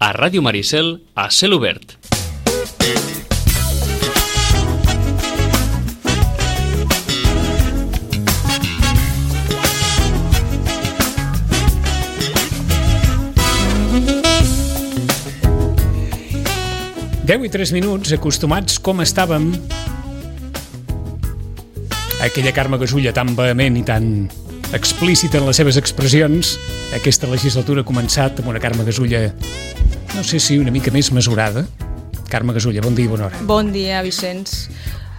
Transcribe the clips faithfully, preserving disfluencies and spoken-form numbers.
a Ràdio Maricel, a Cel Obert. deu i tres minuts, acostumats com estàvem a aquella Carme Gasulla tan vehement i tan explícita en les seves expressions. Aquesta legislatura ha començat amb una Carme Gasulla, no sé si una mica més mesurada. Carme Gasulla, bon dia i bona hora. Bon dia, Vicenç.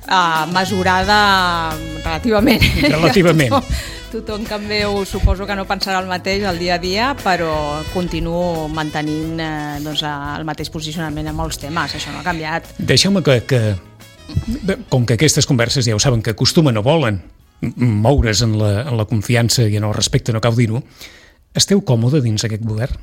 Uh, mesurada relativament. Relativament. tothom, tothom que em veu suposo que no pensarà el mateix el dia a dia, però continuo mantenint eh, doncs, el mateix posicionament en molts temes. Això no ha canviat. Deixeu-me que, que, com que aquestes converses ja ho saben, que acostumen o volen moure's en la, en la confiança i en el respecte, no cal dir-ho, esteu còmode dins aquest govern?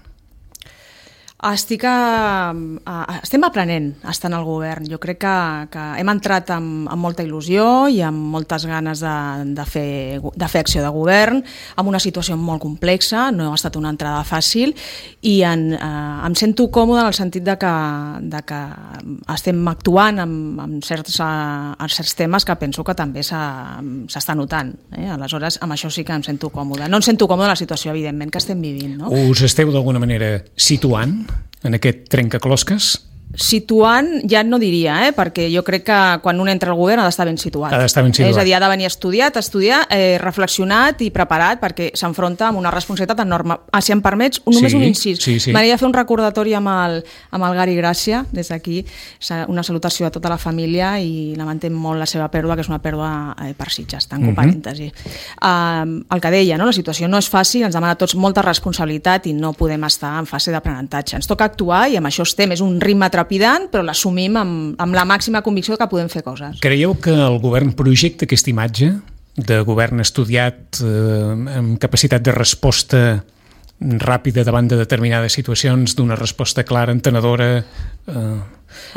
Estic a, a, estem aprenent a estar en el govern. Jo crec que, que hem entrat amb, amb molta il·lusió i amb moltes ganes de, de, fer, de fer acció de govern, amb una situació molt complexa, no ha estat una entrada fàcil i en, eh, em sento còmode en el sentit de que, de que estem actuant en, en, certs, en certs temes que penso que també s'està notant. Eh? Aleshores, amb això sí que em sento còmode. No em sento còmode en la situació, evidentment, que estem vivint. No? Us esteu d'alguna manera situant en aquest trencaclosques? Situant, ja no diria, eh? perquè jo crec que quan un entra al govern ha d'estar ben situat. Ha d'estar ben situat. És a dir, ha de venir estudiat, estudiar, eh, reflexionat i preparat, perquè s'enfronta amb una responsabilitat enorme. Ah, si em permets, només sí, un incís. Sí, sí. M'agradaria fer un recordatori amb el, amb el Gary Gràcia, des d'aquí, una salutació a tota la família i lamentem molt la seva pèrdua, que és una pèrdua eh, per Sitges, tanco uh-huh. parèntesi. Uh, el que deia, no? La situació no és fàcil, ens demana a tots molta responsabilitat i no podem estar en fase d'aprenentatge. Ens toca actuar i amb això estem, és un ritme trepidant, però l'assumim amb, amb la màxima convicció que podem fer coses. Creieu que el govern projecta aquesta imatge de govern estudiat, eh, amb capacitat de resposta ràpida davant de determinades situacions, d'una resposta clara, entenedora, eh,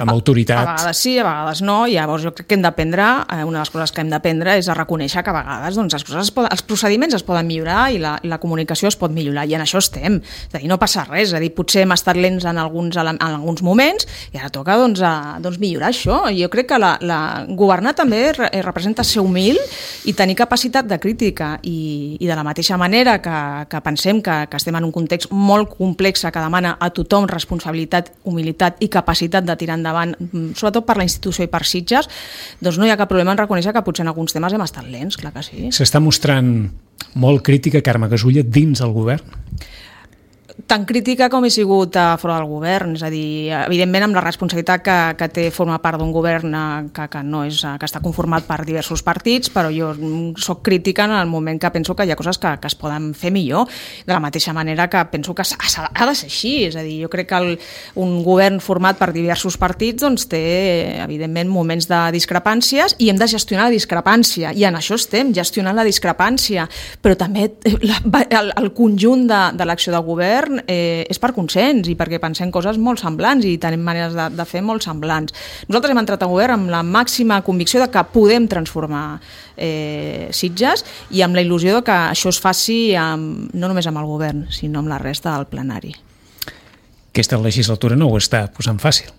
amb autoritat? A vegades sí, a vegades no, i llavors jo crec que hem d'aprendre, una de les coses que hem d'aprendre és a reconèixer que a vegades doncs, les coses es poden, els procediments es poden millorar i la, la comunicació es pot millorar, i en això estem. És a dir, no passa res, és a dir, potser hem estat lents en alguns, en alguns moments i ara toca doncs, a, doncs, millorar això. I jo crec que la, la, governar també re, representa ser humil i tenir capacitat de crítica, i, i de la mateixa manera que, que pensem que, que estem en un context molt complex que demana a tothom responsabilitat, humilitat i capacitat de tirar endavant, sobretot per la institució i per Sitges, doncs no hi ha cap problema en reconèixer que potser en alguns temes hem estat lents, clar que sí. S'està mostrant molt crítica Carme Gasulla dins el govern? Tan crítica com he sigut a fora del govern, és a dir, evidentment amb la responsabilitat que, que té formar part d'un govern que, que, no és, que està conformat per diversos partits, però jo soc crítica en el moment que penso que hi ha coses que, que es poden fer millor, de la mateixa manera que penso que ha, ha de ser així, és a dir, jo crec que el, un govern format per diversos partits doncs, té evidentment moments de discrepàncies i hem de gestionar la discrepància, i en això estem, gestionant la discrepància, però també la, el, el conjunt de, de l'acció de govern Eh, és per consens i perquè pensem coses molt semblants i tenim maneres de, de fer molt semblants. Nosaltres hem entrat al govern amb la màxima convicció de que podem transformar eh, Sitges i amb la il·lusió de que això es faci amb, no només amb el govern, sinó amb la resta del plenari. Aquesta legislatura no ho està posant fàcil.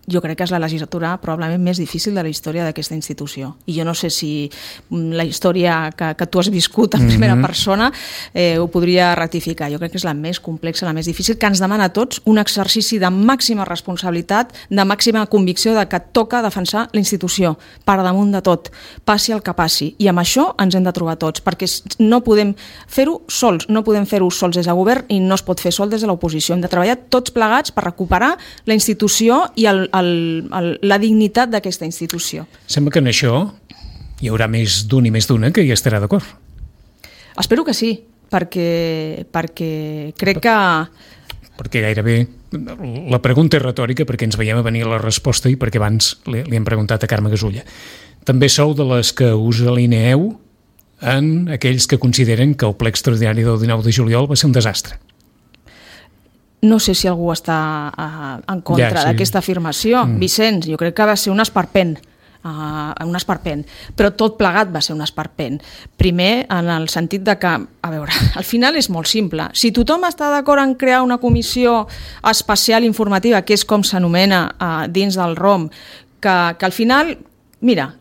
Jo crec que és la legislatura probablement més difícil de la història d'aquesta institució. I jo no sé si la història que, que tu has viscut en primera mm-hmm. persona eh, ho podria ratificar. Jo crec que és la més complexa, la més difícil, que ens demana a tots un exercici de màxima responsabilitat, de màxima convicció de que toca defensar la institució per damunt de tot, passi el que passi. I amb això ens hem de trobar tots, perquè no podem fer-ho sols, no podem fer-ho sols des del govern i no es pot fer sol des de l'oposició. Hem de treballar tots plegats per recuperar la institució i el El, el, la dignitat d'aquesta institució. Sembla que en això hi haurà més d'un i més d'una que hi estarà d'acord. Espero que sí, perquè, perquè crec que... Perquè gairebé la pregunta és retòrica, perquè ens veiem a venir la resposta i perquè abans li, li hem preguntat a Carme Gasulla. També sou de les que us alineeu en aquells que consideren que el ple extraordinari del dinou de juliol va ser un desastre. No sé si algú està uh, en contra ja, sí. d'aquesta afirmació. Mm. Vicenç, jo crec que va ser un esperpent. uh, un esperpent, però tot plegat va ser un esperpent. Primer, en el sentit de que, a veure, al final és molt simple. Si tothom està d'acord en crear una comissió especial informativa, que és com s'anomena uh, dins del R O M, que, que al final, mira,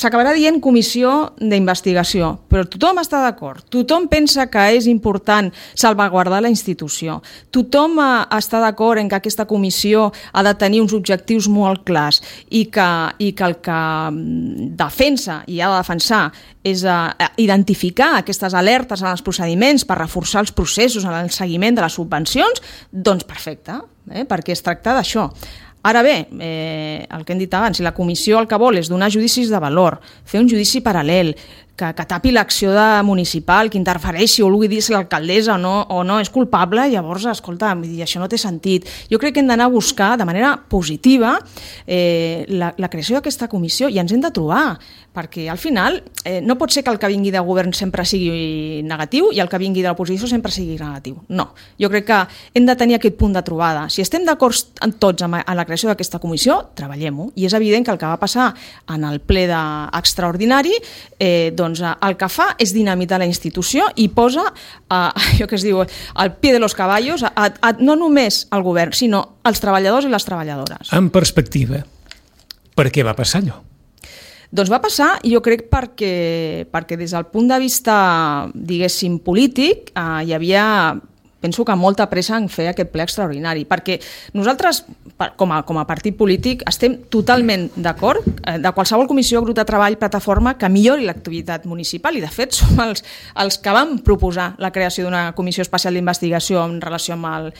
s'acabarà dient comissió d'investigació, però tothom està d'acord, tothom pensa que és important salvaguardar la institució, tothom està d'acord en que aquesta comissió ha de tenir uns objectius molt clars i que, i que el que defensa i ha de defensar és a identificar aquestes alertes en els procediments per reforçar els processos en el seguiment de les subvencions, doncs perfecte, eh? Perquè es tracta d'això. Ara bé, eh, el que hem dit abans, si la comissió el que vol és donar judicis de valor, fer un judici paral·lel, que, que tapi l'acció de municipal, que interfereixi o vulgui dir si l'alcaldessa o no, o no és culpable, llavors, escolta, això no té sentit. Jo crec que hem d'anar a buscar de manera positiva eh, la, la creació d'aquesta comissió i ens hem de trobar, perquè al final eh, no pot ser que el que vingui de govern sempre sigui negatiu i el que vingui de l'oposició sempre sigui negatiu. No, jo crec que hem de tenir aquest punt de trobada. Si estem d'acord tots en la creació d'aquesta comissió, treballem-ho. I és evident que el que va passar en el ple de extraordinari, eh, doncs el que fa és dinamitar la institució i posa, eh, allò que es diu, al pie de los caballos, a, a, no només al govern, sinó als treballadors i les treballadores. En perspectiva, per què va passar allò? Doncs va passar, jo crec, perquè, perquè des del punt de vista, diguéssim, polític, eh, hi havia, penso que molta pressa en fer aquest ple extraordinari, perquè nosaltres, com a, com a partit polític, estem totalment d'acord eh, de qualsevol comissió, grup de treball, plataforma, que millori l'activitat municipal, i de fet som els, els que vam proposar la creació d'una comissió especial d'investigació en relació amb, el,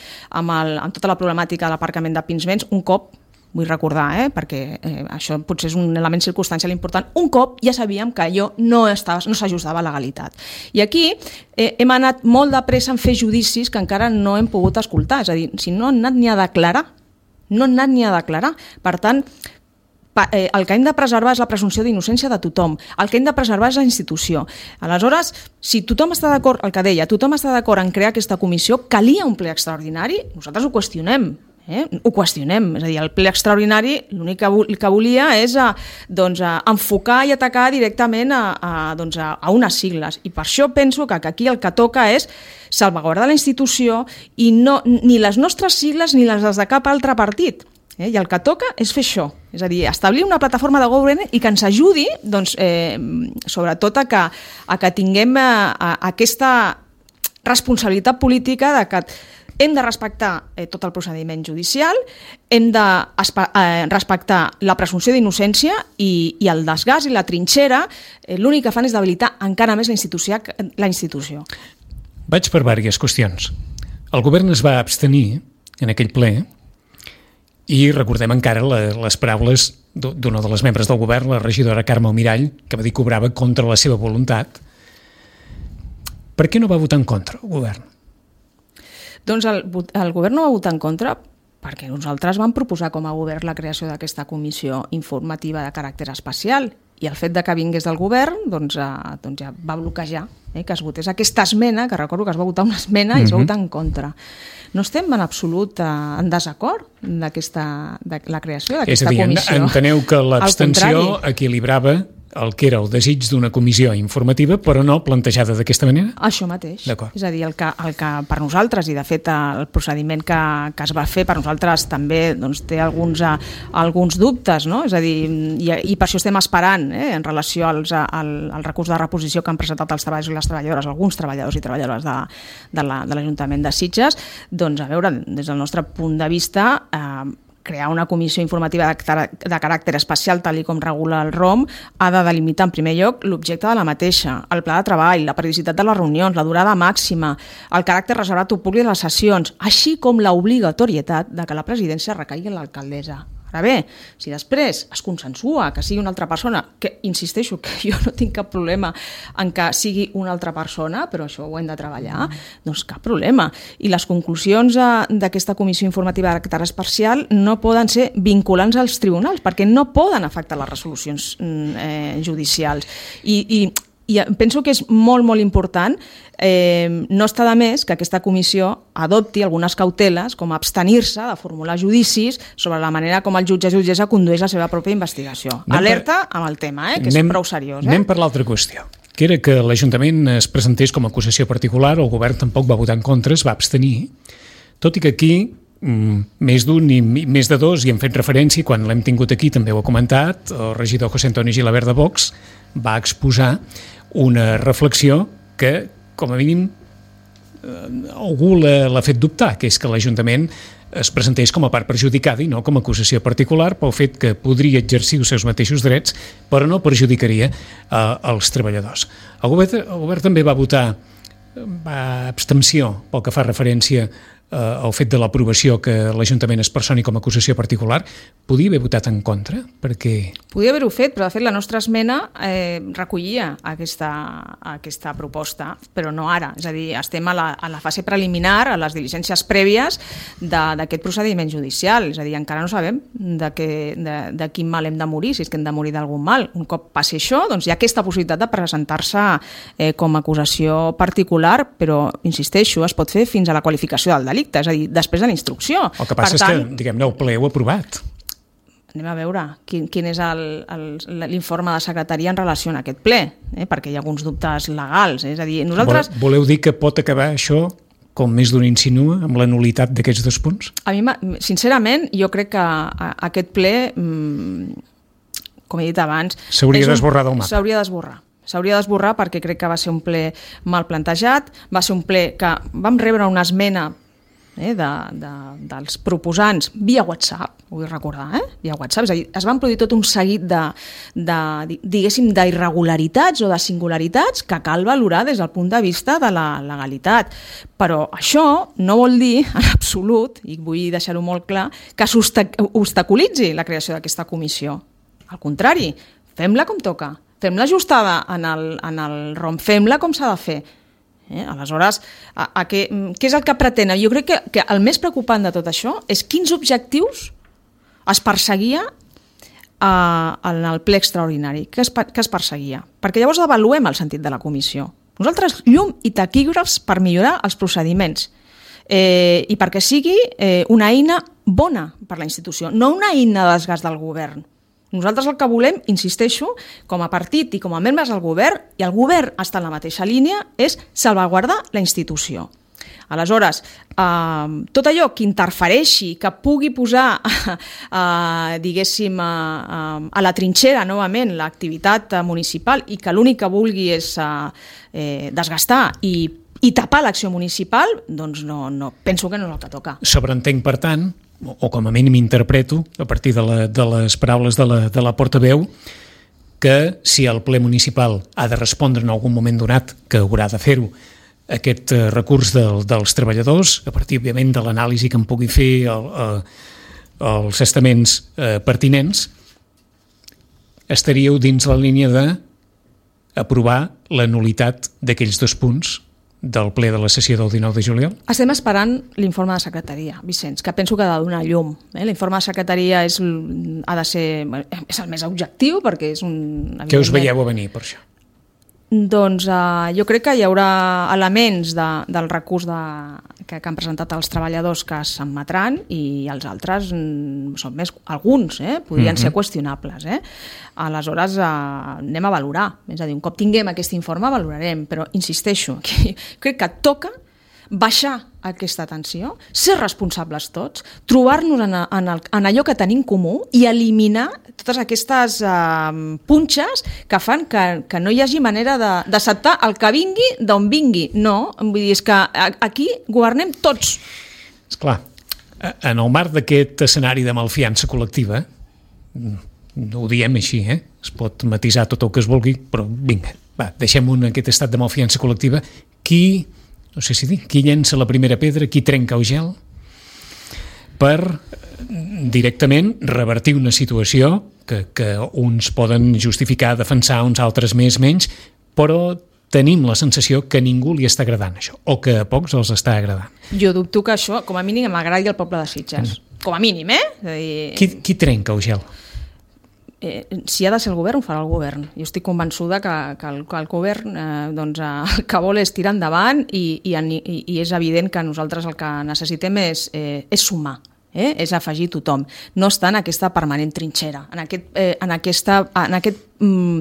amb, el, amb tota la problemàtica de l'aparcament de Pinsbens, un cop, vull recordar, eh, perquè eh, això potser és un element circumstancial important, un cop ja sabíem que allò no, estava, no s'ajustava a la legalitat. I aquí eh, hem anat molt de pressa en fer judicis que encara no hem pogut escoltar, és a dir, si no han anat ni a declarar, no han anat ni a declarar. Per tant, pa, eh, el que hem de preservar és la presumpció d'innocència de tothom, el que hem de preservar és la institució. Aleshores, si tothom està d'acord, el que deia, tothom està d'acord en crear aquesta comissió, calia un ple extraordinari, nosaltres ho qüestionem, Eh? ho qüestionem, és a dir, el ple extraordinari l'únic que, que volia és a, doncs, a enfocar i atacar directament a, a, doncs, a, a unes sigles, i per això penso que, que aquí el que toca és salvaguardar la institució i no, ni les nostres sigles ni les de cap altre partit. Eh? I el que toca és fer això, és a dir, establir una plataforma de govern i que ens ajudi, doncs, eh, sobretot a que, a que tinguem a, a, aquesta responsabilitat política de que hem de respectar eh, tot el procediment judicial, hem de eh, respectar la presumpció d'innocència i, i el desgast i la trinxera, eh, l'únic que fan és debilitar encara més la institució. La institució. Vaig per diverses qüestions. El govern es va abstenir en aquell ple i recordem encara la, les paraules d'una de les membres del govern, la regidora Carme Almirall, que va dir que obrava contra la seva voluntat. Per què no va votar en contra el govern? Doncs el, el govern no va votar en contra perquè nosaltres vam proposar com a govern la creació d'aquesta comissió informativa de caràcter especial i el fet de que vingués del govern doncs, eh, doncs ja va bloquejar eh, que es votés aquesta esmena, que recordo que es va votar una esmena i es va votar en contra. No estem en absolut eh, en desacord d'aquesta, de la creació d'aquesta comissió. És a dir, enteneu que l'abstenció equilibrava el que era el desig d'una comissió informativa, però no plantejada d'aquesta manera? Això mateix. És a dir, el que, el que per nosaltres, i de fet el procediment que, que es va fer per nosaltres també doncs, té alguns, uh, alguns dubtes, no? És a dir, i, i per això estem esperant eh, en relació als, al, al recurs de reposició que han presentat els treballadors i les treballadores, alguns treballadors i treballadores de, de l'Ajuntament de, de Sitges, doncs a veure, des del nostre punt de vista, eh, crear una comissió informativa de, de caràcter especial, tal i com regula el R O M, ha de delimitar en primer lloc l'objecte de la mateixa, el pla de treball, la periodicitat de les reunions, la durada màxima, el caràcter reservat o públic de les sessions, així com l'obligatorietat de que la presidència recaigui en l'alcaldessa. Ara bé, si després es consensua que sigui una altra persona, que insisteixo que jo no tinc cap problema en que sigui una altra persona, però això ho hem de treballar, doncs cap problema. I les conclusions d'aquesta comissió informativa de caràcter especial no poden ser vinculants als tribunals, perquè no poden afectar les resolucions eh, judicials. I, i I penso que és molt, molt important. Eh, no està de més que aquesta comissió adopti algunes cauteles, com abstenir-se de formular judicis sobre la manera com el jutge o jutgessa condueix la seva pròpia investigació. Anem Alerta per... amb el tema, eh, que anem, és prou seriós. Eh? Anem per l'altra qüestió, que era que l'Ajuntament es presentés com a acusació particular, el govern tampoc va votar en contra, es va abstenir, tot i que aquí més d'un i més de dos hi hem fet referència, quan l'hem tingut aquí també ho ha comentat, el regidor José Antonio Gilabert de Vox va exposar una reflexió que, com a mínim, algú l'ha fet dubtar, que és que l'Ajuntament es presentés com a part perjudicada i no com a acusació particular pel fet que podria exercir els seus mateixos drets, però no perjudicaria eh, els treballadors. El govern, el govern també va votar va abstenció pel que fa referència eh, al fet de l'aprovació que l'Ajuntament es personi com a acusació particular. Podia haver votat en contra? Perquè... Podia haver-ho fet, però de fet la nostra esmena eh, recollia aquesta, aquesta proposta, però no ara. És a dir, estem a la, a la fase preliminar, a les diligències prèvies d'aquest procediment judicial. És a dir, encara no sabem de, que, de, de quin mal hem de morir, si és que hem de morir d'algun mal. Un cop passi això, doncs hi ha aquesta possibilitat de presentar-se eh, com a acusació particular, però, insisteixo, es pot fer fins a la qualificació del delicte, és a dir, després de la instrucció. El que passa per és tant, que, diguem-ne, el ple ho ha aprovat. Anem a veure quin, quin és l'informe de secretaria en relació a aquest ple, eh? Perquè hi ha alguns dubtes legals. Eh? És a dir, nosaltres... Voleu dir que pot acabar això, com més d'un insinua, amb la nulitat d'aquests dos punts? A mi, sincerament, jo crec que aquest ple, com he dit abans... S'hauria d'esborrar del mapa. S'hauria d'esborrar. S'hauria d'esborrar perquè crec que va ser un ple mal plantejat, va ser un ple que vam rebre una esmena eh, de, de, dels proposants via WhatsApp, ho vull recordar, eh? Via WhatsApp, és a dir, es van produir tot un seguit de, de diguéssim, d'irregularitats o de singularitats que cal valorar des del punt de vista de la legalitat. Però això no vol dir, en absolut, i vull deixar-ho molt clar, que s'obstaculitzi la creació d'aquesta comissió. Al contrari, fem-la com toca. Fem-la ajustada en el, en el R O M, fem-la com s'ha de fer. Eh? Aleshores, a, a què, què és el que pretenen? Jo crec que, que el més preocupant de tot això és quins objectius es perseguia a, en el ple extraordinari, que es, que es perseguia. Perquè llavors avaluem el sentit de la comissió. Nosaltres, llum i taquígrafs per millorar els procediments eh, i perquè sigui eh, una eina bona per la institució, no una eina de desgast del govern. Nosaltres el que volem, insisteixo, com a partit i com a membres del govern, i el govern està en la mateixa línia, és salvaguardar la institució. Aleshores, eh, tot allò que interfereixi, que pugui posar, eh, diguéssim, eh, a la trinxera novament l'activitat municipal i que l'únic que vulgui és eh, desgastar i, i tapar l'acció municipal, doncs no, no, penso que no és el que toca. Sobreentenc, per tant, o com a mínim interpreto, a partir de, la, de les paraules de la, de la portaveu, que si el ple municipal ha de respondre en algun moment donat, que haurà de fer-ho, aquest eh, recurs del, dels treballadors, a partir, òbviament, de l'anàlisi que en pugui fer el, eh, els estaments eh, pertinents, estaríeu dins la línia d'aprovar la nulitat d'aquells dos punts del ple de la sessió del dinou de juliol? Estem esperant l'informe de secretaria, Vicenç, que penso que ha de donar llum. Eh? L'informe de secretaria és, ha de ser, és el més objectiu perquè és un... Què us veieu a venir per això? Doncs uh, jo crec que hi haurà elements de, del recurs de, que, que han presentat els treballadors que s'admetran i els altres mm, són més, alguns, eh? podrien mm-hmm. ser qüestionables. Eh? Aleshores uh, anem a valorar, és a dir, un cop tinguem aquest informe valorarem, però insisteixo, que crec que toca baixar aquesta tensió, ser responsables tots, trobar-nos en, en, el, en allò que tenim comú i eliminar totes aquestes uh, punxes que fan que, que no hi hagi manera d'acceptar el que vingui d'on vingui. No, vull dir, és que aquí governem tots. Esclar, en el marc d'aquest escenari de malfiança col·lectiva, no ho diem així, eh? Es pot matisar tot el que es vulgui, però vinga, va, deixem un, aquest estat de malfiança col·lectiva. Qui... no sé si dir, qui llença la primera pedra, qui trenca el gel, per directament revertir una situació que, que uns poden justificar, defensar, uns altres més, menys, però tenim la sensació que ningú li està agradant això, o que a pocs els està agradant. Jo dubto que això, com a mínim, m'agradi al poble de Sitges. Mm. Com a mínim, eh? És a dir... Qui, qui trenca el gel? eh, si ha de ser el govern, ho farà el govern. Jo estic convençuda que, que, el, que el govern eh, doncs, el que vol és tirar endavant i, i, i, i és evident que nosaltres el que necessitem és, eh, és sumar. Eh? És afegir tothom, no estar en aquesta permanent trinxera, en aquest, eh, en aquesta, en aquest mm,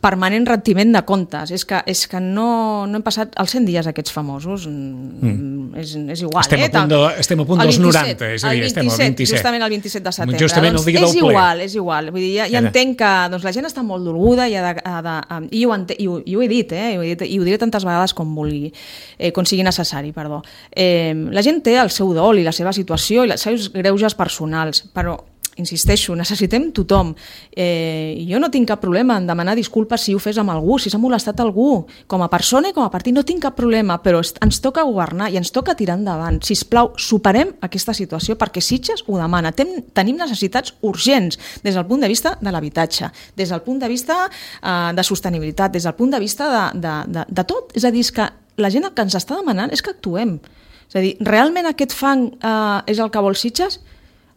permanent retiment de comptes. És que, és que no, no hem passat els cent dies aquests famosos, mm. és, és igual. Estem, eh? a punt de, estem a punt dels noranta, és a dir, estem al vint-i-set. Justament el vint-i-set de setembre. Justament el dia doncs del ple. És igual, és igual. Vull dir, ja, ja entenc que doncs, la gent està molt dolguda i, ha de, ha de, i, ho, ente, i, ho, i ho he dit, eh? I ho he dit, i ho diré tantes vegades com vulgui, eh, com sigui necessari, perdó. Eh, la gent té el seu dol i la seva situació i els seus greuges personals, però insisteixo, necessitem tothom. Eh, jo no tinc cap problema en demanar disculpes si ho fes amb algú, si s'ha molestat algú, com a persona i com a partit, no tinc cap problema, però ens toca governar i ens toca tirar endavant. Sisplau, superem aquesta situació perquè Sitges ho demana. Ten, tenim necessitats urgents des del punt de vista de l'habitatge, des del punt de vista eh, de sostenibilitat, des del punt de vista de, de, de, de tot. És a dir, és que la gent el que ens està demanant és que actuem. És a dir, realment aquest fang eh, és el que vol Sitges?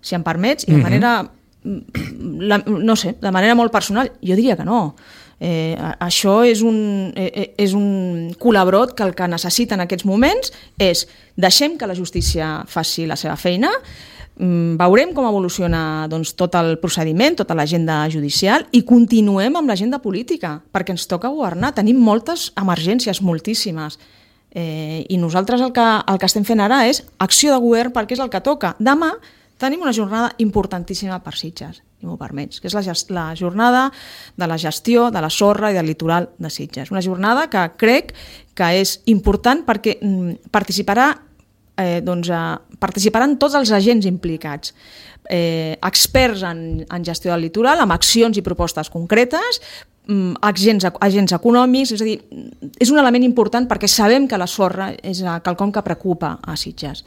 Si em permets, i de manera, la, no sé, de manera molt personal, jo diria que no. Eh, això és un, eh, és un col·labrot que el que necessita en aquests moments és deixem que la justícia faci la seva feina, veurem com evoluciona doncs, tot el procediment, tota l'agenda judicial i continuem amb l'agenda política, perquè ens toca governar. Tenim moltes emergències, moltíssimes. Eh, I nosaltres el que, el que estem fent ara és acció de govern perquè és el que toca. Demà tenim una jornada importantíssima per Sitges, si m'ho permets, que és la, la jornada de la gestió de la sorra i del litoral de Sitges. Una jornada que crec que és important perquè mm, participarà, eh, doncs, eh, participaran tots els agents implicats, eh, experts en, en gestió del litoral, amb accions i propostes concretes, mm, agents, agents econòmics, és a dir, és un element important perquè sabem que la sorra és quelcom que preocupa a Sitges.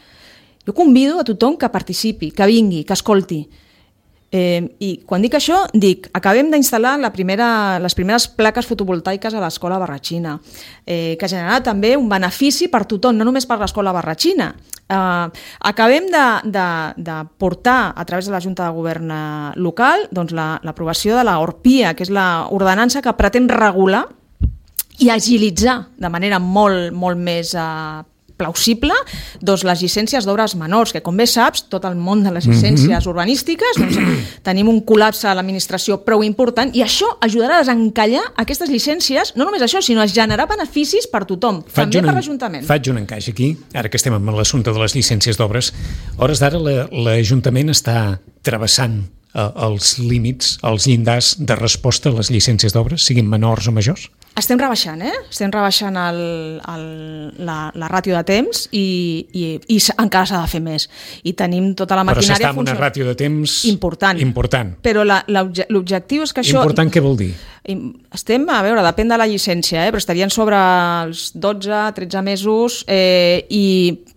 Jo convido a tothom que participi, que vingui, que escolti. Eh, I quan dic això, dic, acabem d'instal·lar la primera, les primeres plaques fotovoltaiques a l'escola Barratxina, eh, que generarà també un benefici per tothom, no només per l'escola Barratxina. Eh, acabem de, de, de portar a través de la Junta de Govern local doncs l'aprovació la, de la Orpia, que és l'ordenança que pretén regular i agilitzar de manera molt, molt més eh, plausible doncs les llicències d'obres menors, que com bé saps, tot el món de les llicències mm-hmm. urbanístiques, doncs, tenim un col·lapse a l'administració prou important i això ajudarà a desencallar aquestes llicències, no només això, sinó a generar beneficis per tothom, faig també un, per l'Ajuntament. Faig un encaix aquí, ara que estem amb l'assumpte de les llicències d'obres. A hores d'ara l'Ajuntament està travessant eh, els límits, els llindars de resposta a les llicències d'obres, siguin menors o majors? Estem rebaixant, eh? Estem rebaixant el, el, la, la ràtio de temps i, i, i encara s'ha de fer més. I tenim tota la maquinària... Però s'està amb una ràtio de temps important. important. Però l'objectiu és que això... Important què vol dir? Estem, a veure, depèn de la llicència, eh? Però estarien sobre els dotze tretze mesos eh, i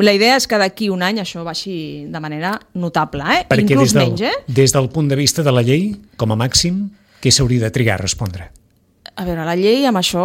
la idea és que d'aquí un any això baixi de manera notable, eh? Perquè inclús des del, menys, eh? Des del punt de vista de la llei, com a màxim, què s'hauria de trigar a respondre? A veure, la llei amb això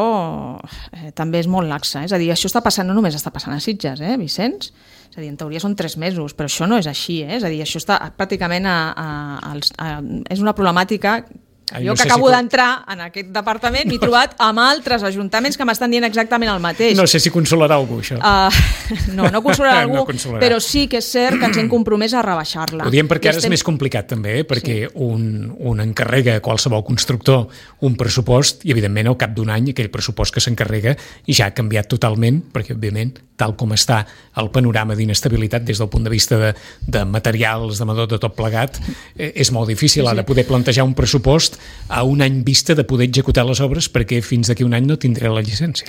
eh, també és molt laxa. És a dir, això està passant, no només està passant a Sitges, eh, Vicenç? És a dir, en teoria són tres mesos, però això no és així, eh? És a dir, això està pràcticament a, a, a, a, és una problemàtica que jo no que acabo si... d'entrar en aquest departament m'he trobat amb altres ajuntaments que m'estan dient exactament el mateix. No sé si consolarà algú, això. Uh, no, no consolarà algú, no consolarà. Però sí que és cert que ens hem compromès a rebaixar-la. Ho diem perquè I ara estem... és més complicat també, eh? Perquè sí. un, un encarrega a qualsevol constructor un pressupost i evidentment al cap d'un any aquell pressupost que s'encarrega ja ha canviat totalment, perquè òbviament tal com està el panorama d'inestabilitat des del punt de vista de, de materials, de madó, de tot plegat, eh, és molt difícil sí, sí. ara poder plantejar un pressupost a un any vista de poder executar les obres perquè fins d'aquí un any no tindré la llicència.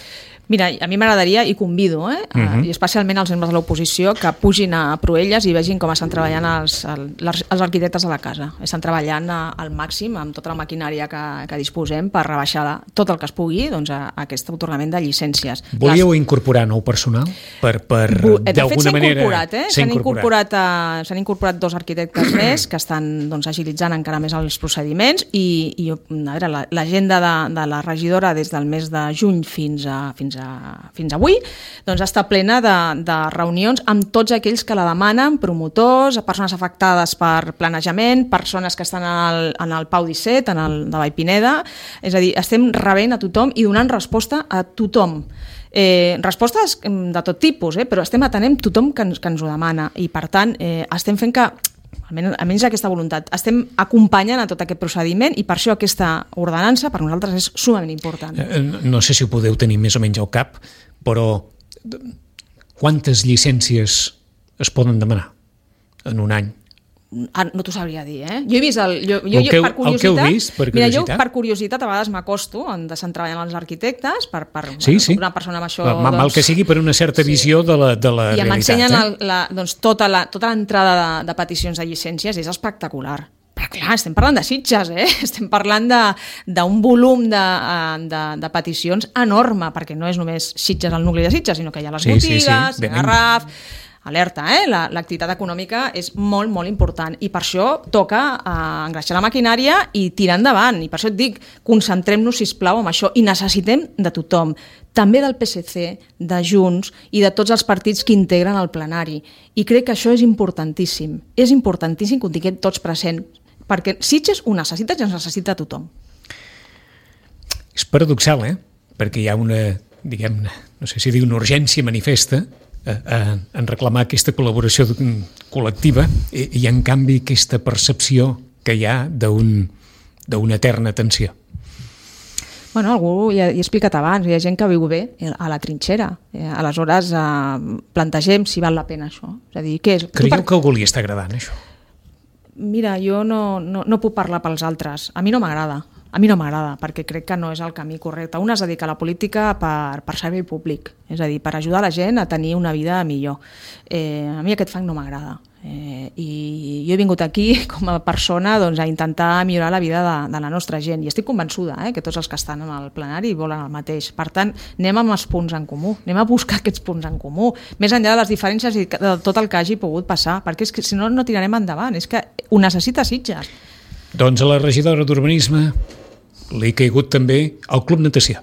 Mira, a mi m'agradaria, i convido, eh, uh -huh. i especialment els membres de l'oposició, que pugin a Proelles i vegin com estan treballant els, els, els arquitectes de la casa. Estan treballant al màxim amb tota la maquinària que, que disposem per rebaixar tot el que es pugui doncs, a, a aquest atorgament de llicències. Volíeu Les... incorporar nou personal? Per, per, d'alguna manera... Incorporat, eh? S'han incorporat, incorporat, uh, s'han incorporat dos arquitectes més que estan doncs, agilitzant encara més els procediments i, i, i a veure, l'agenda de, de la regidora des del mes de juny fins a, fins a, fins a avui doncs està plena de, de reunions amb tots aquells que la demanen, promotors, persones afectades per planejament, persones que estan en el, en el Pau disset, en el de Vallpineda, és a dir, estem rebent a tothom i donant resposta a tothom. Eh, respostes de tot tipus, eh? Però estem atenent tothom que ens, que ens ho demana i per tant eh, estem fent que, almenys, almenys aquesta voluntat, estem acompanyant a tot aquest procediment i per això aquesta ordenança per nosaltres és sumament important. Eh, no sé si ho podeu tenir més o menys al cap, però quantes llicències es poden demanar en un any? Ah, no t'ho sabria dir, eh? Jo he vist el... Jo, jo, el, que, per curiositat, el que heu vist, per mira, curiositat? jo per curiositat a vegades m'acosto de se'n treballant els arquitectes per, per sí, sí. una persona amb això... Mal doncs, que sigui per una certa sí. visió de la, de la I realitat. m'ensenyen eh? el, la, doncs, tota la, tota l'entrada de, de peticions de llicències, és espectacular. Però clar, estem parlant de Sitges, eh? Estem parlant d'un volum de, de, de peticions enorme, perquè no és només Sitges, el nucli de Sitges, sinó que hi ha les sí, botigues, sí, sí. Garraf... Alerta, eh? L'activitat econòmica és molt, molt important i per això toca eh, engreixar la maquinària i tirar endavant. I per això et dic, concentrem-nos, sisplau, en això i necessitem de tothom, també del P S C, de Junts i de tots els partits que integren el plenari. I crec que això és importantíssim. És importantíssim que ho tinguem tots present, perquè Sitges ho necessita i ens necessita tothom. És paradoxal, eh? Perquè hi ha una, diguem-ne, no sé si dir una urgència manifesta en reclamar aquesta col·laboració col·lectiva i, i en canvi aquesta percepció que hi ha d'una eterna tensió. Bueno, algú, ja he explicat abans, hi ha gent que viu bé a la trinxera. Eh, aleshores, eh, plantegem si val la pena això. És a dir, què és? Creieu per... que algú li està agradant, això? Mira, jo no, no, no puc parlar pels altres. A mi no m'agrada. A mi no m'agrada, perquè crec que no és el camí correcte. Un es dedica a la política per, per servei públic, és a dir, per ajudar la gent a tenir una vida millor. Eh, a mi aquest fang no m'agrada. Eh, I jo he vingut aquí com a persona doncs, a intentar millorar la vida de, de la nostra gent. I estic convençuda eh, que tots els que estan en el plenari volen el mateix. Per tant, anem amb els punts en comú, anem a buscar aquests punts en comú, més enllà de les diferències i de tot el que hagi pogut passar, perquè és que si no, no tirarem endavant. És que ho necessita Sitges. Doncs a la regidora d'Urbanisme li ha caigut també el Club Natació.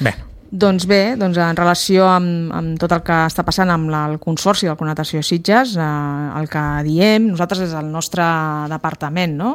Bé. Doncs bé, doncs en relació amb, amb tot el que està passant amb la, el Consorci del Club Natació Sitges, eh, el que diem, nosaltres des del nostre departament, no?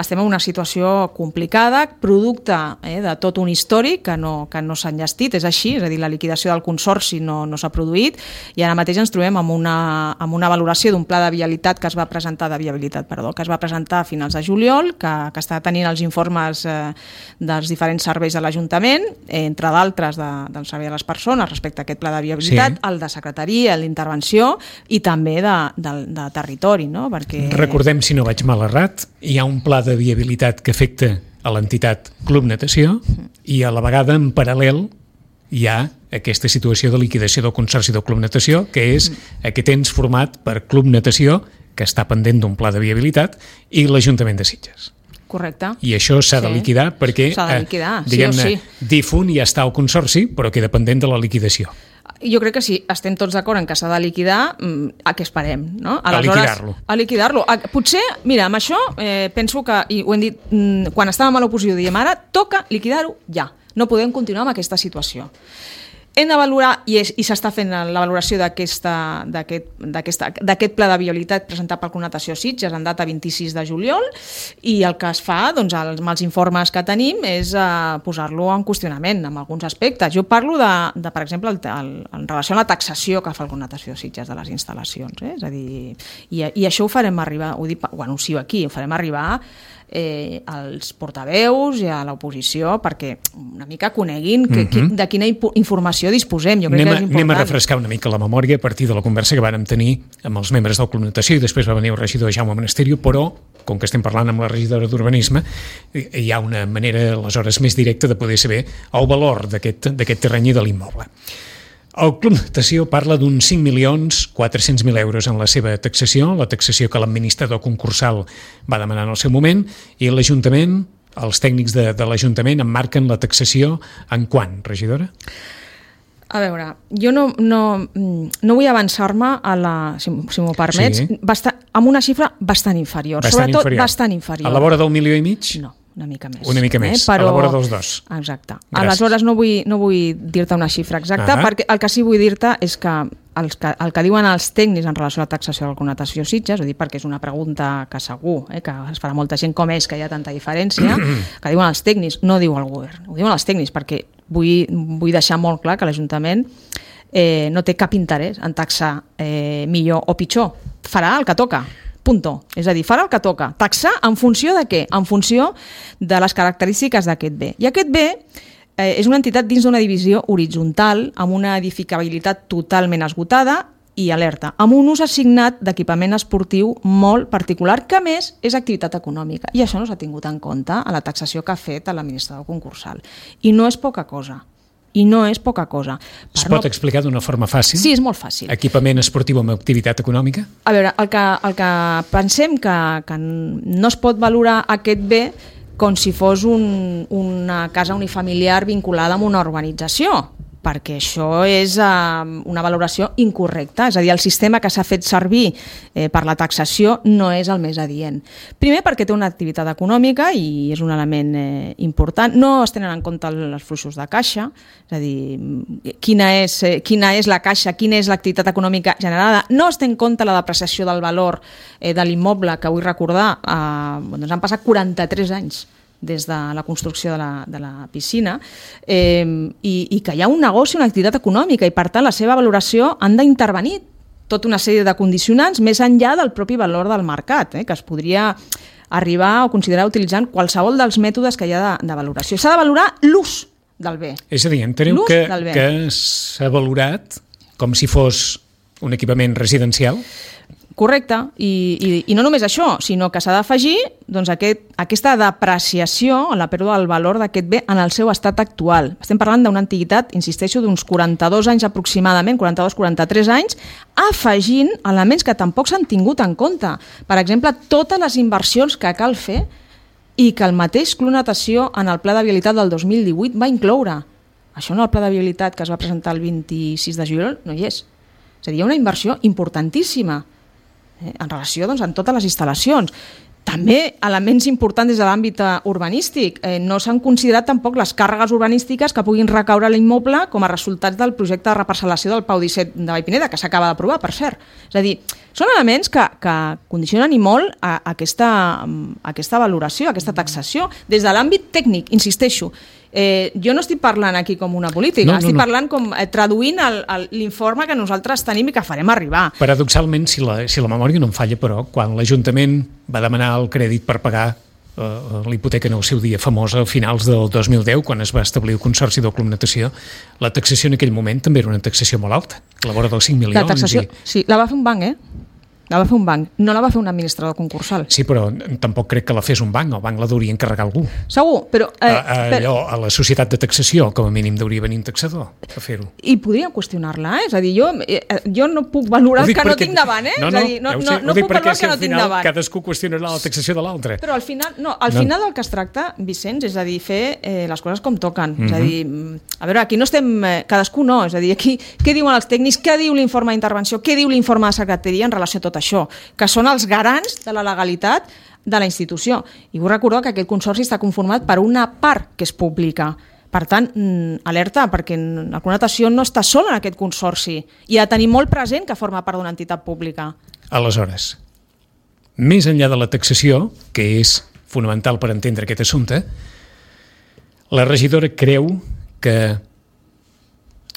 Estem en una situació complicada, producte eh, de tot un històric que no, que no s'ha enllestit, és així, és a dir, la liquidació del Consorci no, no s'ha produït i ara mateix ens trobem amb una, amb una valoració d'un pla de viabilitat que es va presentar de viabilitat, perdó, que es va presentar a finals de juliol, que, que està tenint els informes eh, dels diferents serveis de l'Ajuntament, eh, entre d'altres de, del servei a les persones respecte a aquest pla de viabilitat, sí. El de secretaria, el d'intervenció i també de, de, de territori, no? Perquè... Recordem, si no vaig mal errat, hi ha un pla de viabilitat que afecta a l'entitat Club Natació i a la vegada en paral·lel hi ha aquesta situació de liquidació del Consorci del Club Natació, que és aquest ens format per Club Natació, que està pendent d'un pla de viabilitat, i l'Ajuntament de Sitges. Correcte. I això s'ha sí. de liquidar perquè, s'ha de liquidar, eh, diguem-ne, sí o sí. difunt ja està el Consorci, però queda pendent de la liquidació. Jo crec que si estem tots d'acord en que s'ha de liquidar, a què esperem? No? A liquidar-lo. A liquidar-lo. Potser, mira, amb això eh, penso que, i ho hem dit quan estàvem a l'oposició, diem ara, toca liquidar-ho ja. No podem continuar amb aquesta situació. Hem de valorar, i, és, i s'està fent la valoració d'aquest pla de viabilitat presentat pel Club Natació Sitges en data vint-i-sis de juliol, i el que es fa, doncs, els, amb els informes que tenim, és uh, posar-lo en qüestionament en alguns aspectes. Jo parlo de, de per exemple, el, el, en relació a la taxació que fa el Club Natació Sitges de les instal·lacions. Eh? És a dir, i, i això ho farem arribar, ho, dic, ho anuncio aquí, ho farem arribar Eh, als portaveus i a l'oposició perquè una mica coneguin que, uh-huh. de quina informació disposem. Jo crec anem, que és important. Anem a refrescar una mica la memòria a partir de la conversa que vàrem tenir amb els membres del Club Natació i després va venir el regidor Jaume Monasterio, però com que estem parlant amb la regidora d'Urbanisme hi ha una manera aleshores més directa de poder saber el valor d'aquest terreny i de l'immoble. El Club Natació parla d'uns cinc milions quatre-cents mil euros en la seva taxació, la taxació que l'administrador concursal va demanar en el seu moment, i l'Ajuntament, els tècnics de, de l'Ajuntament emmarquen la taxació en quant, regidora? A veure, jo no, no, no vull avançar-me a la, si, si m'ho permets, sí. bastant, amb una xifra bastant inferior. Bastant Sobretot inferior. bastant inferior. A la vora del milió i mig? No. una mica més. Una mica més, eh? Però... a la vora dels dos. Exacte. Gràcies. Aleshores no vull, no vull dir-te una xifra exacta, uh-huh. perquè el que sí vull dir-te és que el, que el que diuen els tècnics en relació a la taxació de la connotació Sitges, ho dic perquè és una pregunta que segur eh, que es farà molta gent com és que hi ha tanta diferència, que diuen els tècnics, no diu el govern, ho diuen els tècnics, perquè vull, vull deixar molt clar que l'Ajuntament eh, no té cap interès en taxar eh, millor o pitjor, farà el que toca. Punto. És a dir, farà el que toca. Taxar en funció de què? En funció de les característiques d'aquest bé. I aquest bé eh, és una entitat dins d'una divisió horitzontal amb una edificabilitat totalment esgotada i alerta, amb un ús assignat d'equipament esportiu molt particular, que a més és activitat econòmica. I això no s'ha tingut en compte a la taxació que ha fet l'administrador concursal. I no és poca cosa. I no és poca cosa. Per es pot no... explicar d'una forma fàcil? Sí, és molt fàcil. Equipament esportiu amb activitat econòmica? A veure, el que, el que pensem que, que no es pot valorar aquest bé com si fos un, una casa unifamiliar vinculada amb una urbanització, perquè això és uh, una valoració incorrecta, és a dir, el sistema que s'ha fet servir eh, per la taxació no és el més adient. Primer perquè té una activitat econòmica i és un element eh, important, no es tenen en compte els fluxos de caixa, és a dir, quina és, eh, quina és la caixa, quina és l'activitat econòmica generada, no es té en compte la depreciació del valor eh, de l'immoble, que vull recordar, eh, doncs han passat quaranta-tres anys des de la construcció de la, de la piscina, eh, i, i que hi ha un negoci, una activitat econòmica, i per tant la seva valoració han d'intervenir tota una sèrie de condicionants més enllà del propi valor del mercat, eh, que es podria arribar o considerar utilitzant qualsevol dels mètodes que hi ha de, de valoració. S'ha de valorar l'ús del bé. És a dir, enteneu que, que s'ha valorat com si fos un equipament residencial? Correcte, I, i, i no només això, sinó que s'ha d'afegir doncs, aquest, aquesta depreciació, la pèrdua del valor d'aquest bé en el seu estat actual. Estem parlant d'una antiguitat, insisteixo, d'uns quaranta-dos anys aproximadament, quaranta-dos quaranta-tres anys, afegint elements que tampoc s'han tingut en compte. Per exemple, totes les inversions que cal fer i que el mateix Club Natació en el Pla de Vialitat del dos mil divuit va incloure. Això en el Pla de Vialitat que es va presentar el vint-i-sis de juliol no hi és. És a dir, hi ha una inversió importantíssima en relació doncs, amb totes les instal·lacions. També elements importants des de l'àmbit urbanístic. Eh, no s'han considerat tampoc les càrregues urbanístiques que puguin recaure a l'immoble com a resultats del projecte de reparcel·lació del Pau disset de Vallpineda, que s'acaba d'aprovar, per cert. És a dir, són elements que, que condicionen i molt a, a, aquesta, a aquesta valoració, a aquesta taxació, des de l'àmbit tècnic, insisteixo. Eh, jo no estic parlant aquí com una política, no, no, estic parlant com eh, traduint l'informe que nosaltres tenim i que farem arribar. Paradoxalment, si la, si la memòria no em falla, però, quan l'Ajuntament va demanar el crèdit per pagar eh, l'hipoteca en el seu dia famosa a finals del dos mil deu, quan es va establir el Consorci del Club Natació, la taxació en aquell moment també era una taxació molt alta, a la vora dels cinc milions. La taxació, i... sí, la va fer un banc, eh? La va fer un banc, no la va fer un administrador concursal. Sí, però tampoc crec que la fes un banc, el banc la deuria encarregar algú. Segur, però... Eh, a, a, allò, a la societat de taxació, com a mínim deuria venir un taxador a fer-ho. I podríem qüestionar-la, eh? És a dir, jo, eh, jo no puc valorar que perquè... no tinc davant, eh? No, no, és a dir, no, ja ho sé, no, no puc valorar que no tinc davant. Cadascú qüestionarà la taxació de l'altre. Però al final, no, al no. final del que es tracta, Vicenç, és a dir, fer eh, les coses com toquen. Mm-hmm. És a dir, a veure, aquí no estem... Eh, cadascú no, és a dir, aquí què diuen els tècnics, què diu l'informe d'intervenció, què diu l'informe de secretaria en relació a tot això, que són els garants de la legalitat de la institució. I vull recordar que aquest consorci està conformat per una part que és pública. Per tant, alerta, perquè la Club Natació no està sola en aquest consorci i ha de tenir molt present que forma part d'una entitat pública. Aleshores, més enllà de la taxació, que és fonamental per entendre aquest assumpte, la regidora creu que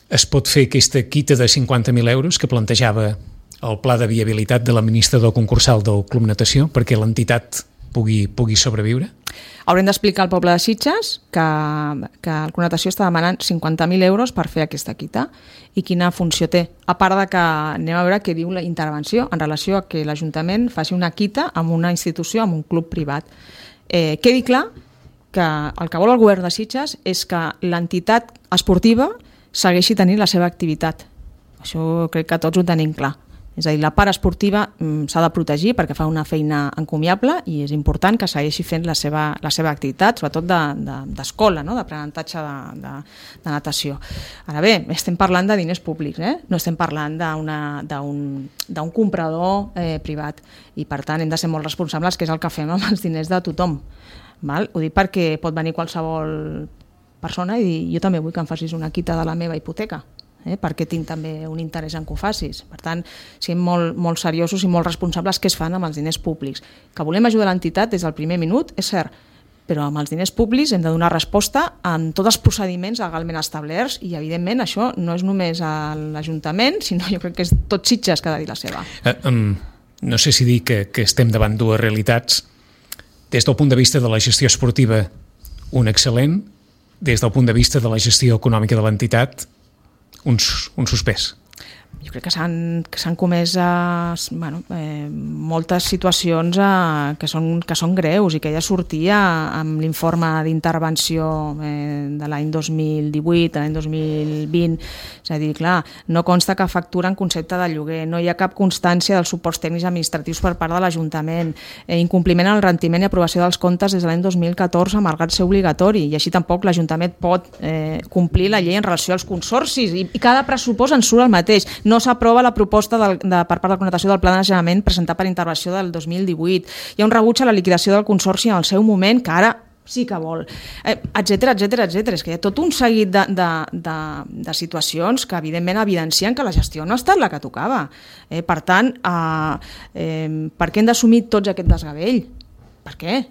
es pot fer aquesta quita de cinquanta mil euros que plantejava el pla de viabilitat de l'administrador concursal del Club Natació perquè l'entitat pugui, pugui sobreviure? Haurem d'explicar al poble de Sitges que, que el Club Natació està demanant cinquanta mil euros per fer aquesta quita i quina funció té. A part de que anem a veure què diu la intervenció en relació a que l'Ajuntament faci una quita amb una institució, amb un club privat. Eh, quedi clar que el que vol el govern de Sitges és que l'entitat esportiva segueixi tenint la seva activitat. Això crec que tots ho tenim clar. És a dir, la part esportiva mm, s'ha de protegir perquè fa una feina encomiable i és important que segueixi fent la seva, la seva activitat, sobretot d'escola, de, de, no? d'aprenentatge de, de, de natació. Ara bé, estem parlant de diners públics, eh? No estem parlant d'un comprador eh, privat i per tant hem de ser molt responsables, que és el que fem amb els diners de tothom. Val? Ho dic perquè pot venir qualsevol persona i dir, jo també vull que em facis una quita de la meva hipoteca, eh? perquè tinc també un interès en que ho facis. Per tant, siguem molt, molt seriosos i molt responsables què es fan amb els diners públics. Que volem ajudar l'entitat des del primer minut, és cert, però amb els diners públics hem de donar resposta en tots els procediments legalment establerts i, evidentment, això no és només a l'Ajuntament, sinó jo crec que és tot Sitges que ha de dir la seva. Uh, um, no sé si dir que, que estem davant dues realitats. Des del punt de vista de la gestió esportiva, un excel·lent, des del punt de vista de la gestió econòmica de l'entitat, un, un suspès. Jo crec que s'han que s'han comès eh, bueno, eh, moltes situacions eh, que, són, que són greus i que ja sortia amb l'informe d'intervenció eh, de l'any dos mil divuit, de l'any dos mil vint. És a dir, clar, no consta que factura en concepte de lloguer, no hi ha cap constància dels suports tècnics administratius per part de l'Ajuntament, eh, incompliment en el rendiment i aprovació dels comptes des de l'any dos mil catorze, malgrat ser obligatori, i així tampoc l'Ajuntament pot eh, complir la llei en relació als consorcis, i, i cada pressupost en surt el mateix. No s'aprova la proposta del, de, per part de la connotació del Pla de Naixement presentat per intervenció del dos mil divuit. Hi ha un rebuig a la liquidació del consorci en el seu moment, que ara sí que vol, eh, etcètera, etcètera, etcètera. És que hi ha tot un seguit de, de, de, de situacions que evidentment evidencien que la gestió no ha estat la que tocava. Eh, per tant, eh, eh, per què hem d'assumir tots aquest desgavell? Per què?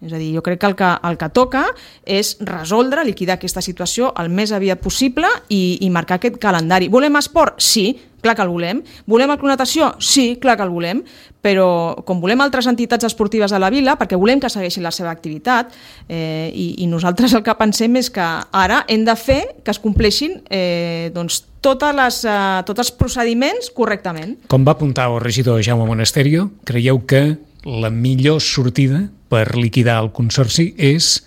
És a dir, jo crec que el que, el que toca és resoldre, liquidar aquesta situació el més aviat possible i, i marcar aquest calendari. Volem esport? Sí, clar que el volem. Volem el Club Natació? Sí, clar que el volem, però com volem altres entitats esportives a la vila, perquè volem que segueixin la seva activitat, eh, i, i nosaltres el que pensem és que ara hem de fer que es compleixin eh, doncs, totes les, eh, tots els procediments correctament. Com va apuntar el regidor Jaume Monasterio, creieu que la millor sortida per liquidar el consorci és